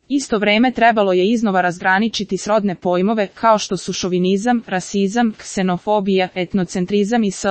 Isto vreme trebalo je iznova razgraničiti srodne pojmove kao što su šovinizam, rasizam, ksenofobija, etnocentrizam i sl.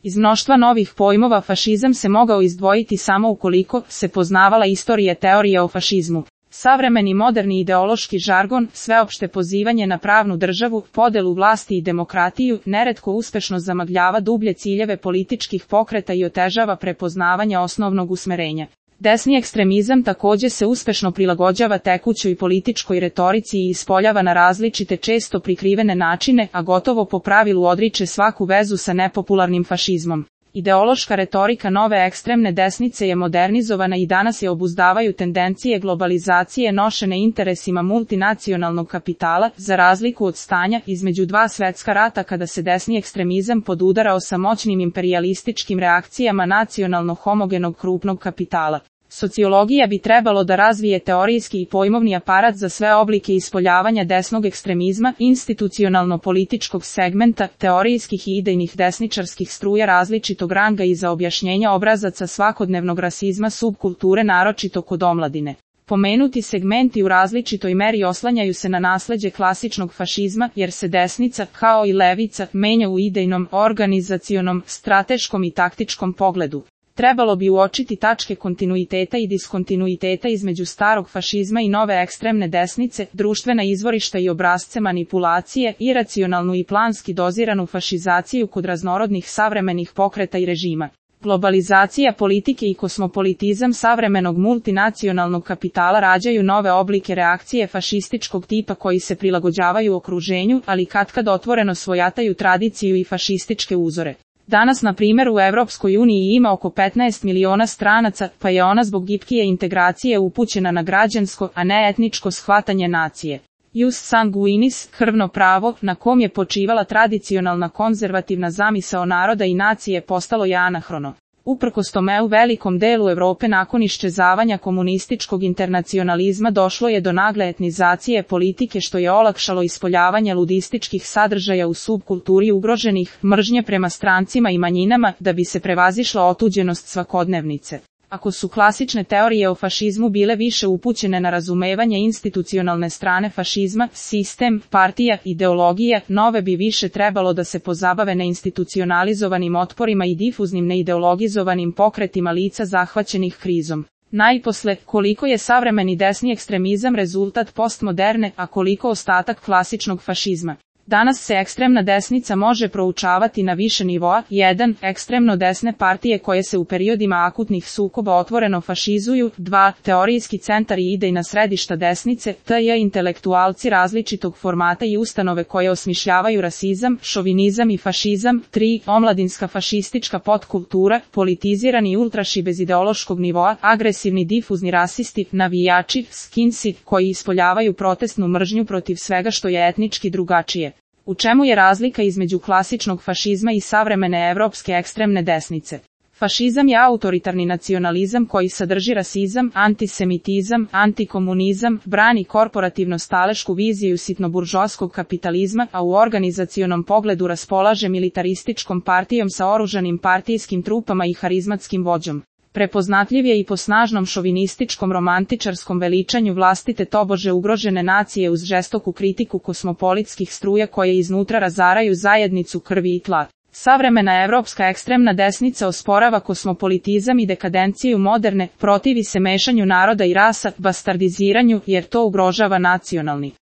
Iz mnoštva novih pojmova fašizam se mogao izdvojiti samo ukoliko se poznavala istorija teorije o fašizmu. Savremeni moderni ideološki žargon, sveopšte pozivanje na pravnu državu, podelu vlasti i demokratiju, neretko uspešno zamagljava dublje ciljeve političkih pokreta i otežava prepoznavanje osnovnog usmerenja. Desni ekstremizam takođe se uspešno prilagođava tekućoj političkoj retorici i ispoljava na različite često prikrivene načine, a gotovo po pravilu odriče svaku vezu sa nepopularnim fašizmom. Ideološka retorika nove ekstremne desnice je modernizovana i danas je obuzdavaju tendencije globalizacije nošene interesima multinacionalnog kapitala, za razliku od stanja između dva svetska rata kada se desni ekstremizam podudarao sa moćnim imperijalističkim reakcijama nacionalno homogenog krupnog kapitala. Sociologija bi trebalo da razvije teorijski i pojmovni aparat za sve oblike ispoljavanja desnog ekstremizma, institucionalno-političkog segmenta, teorijskih i idejnih desničarskih struja različitog ranga i za objašnjenja obrazaca svakodnevnog rasizma subkulture naročito kod omladine. Pomenuti segmenti u različitoj meri oslanjaju se na nasleđe klasičnog fašizma, jer se desnica, kao i levica, menja u idejnom, organizacionom, strateškom i taktičkom pogledu. Trebalo bi uočiti tačke kontinuiteta i diskontinuiteta između starog fašizma i nove ekstremne desnice, društvena izvorišta i obrasce manipulacije, iracionalnu i planski doziranu fašizaciju kod raznorodnih savremenih pokreta i režima. Globalizacija politike i kosmopolitizam savremenog multinacionalnog kapitala rađaju nove oblike reakcije fašističkog tipa koji se prilagođavaju okruženju, ali katkad otvoreno svojataju tradiciju i fašističke uzore. Danas, na primjer, u Evropskoj uniji ima oko 15 miliona stranaca, pa je ona zbog gibkije integracije upućena na građansko, a ne etničko shvatanje nacije. Jus sanguinis, krvno pravo, na kom je počivala tradicionalna konzervativna zamisao naroda i nacije, postalo je anahrono. Uprkos tome u velikom delu Evrope nakon iščezavanja komunističkog internacionalizma došlo je do nagle etnizacije politike što je olakšalo ispoljavanje ludističkih sadržaja u subkulturi ugroženih, mržnje prema strancima i manjinama, da bi se prevazišla otuđenost svakodnevnice. Ako su klasične teorije o fašizmu bile više upućene na razumevanje institucionalne strane fašizma, sistem, partija, ideologija, nove bi više trebalo da se pozabave neinstitucionalizovanim otporima i difuznim neideologizovanim pokretima lica zahvaćenih krizom. Najposle, koliko je savremeni desni ekstremizam rezultat postmoderne, a koliko ostatak klasičnog fašizma. Danas se ekstremna desnica može proučavati na više nivoa. 1. Ekstremno desne partije koje se u periodima akutnih sukoba otvoreno fašizuju. 2. Teorijski centar i idejna središta desnice, t.j. intelektualci različitog formata i ustanove koje osmišljavaju rasizam, šovinizam i fašizam. 3. Omladinska fašistička podkultura, politizirani ultraši bez ideološkog nivoa, agresivni difuzni rasisti, navijači, skinsi, koji ispoljavaju protestnu mržnju protiv svega što je etnički drugačije. U čemu je razlika između klasičnog fašizma i savremene evropske ekstremne desnice? Fašizam je autoritarni nacionalizam koji sadrži rasizam, antisemitizam, antikomunizam, brani korporativno-stalešku viziju sitnoburžoaskog kapitalizma, a u organizacionom pogledu raspolaže militarističkom partijom sa oružanim partijskim trupama i harizmatskim vođom. Prepoznatljiv je i po snažnom šovinističkom romantičarskom veličanju vlastite tobože ugrožene nacije uz žestoku kritiku kosmopolitskih struja koje iznutra razaraju zajednicu krvi i tla. Savremena evropska ekstremna desnica osporava kosmopolitizam i dekadenciju moderne, protivi se mešanju naroda i rasa, bastardiziranju, jer to ugrožava nacionalni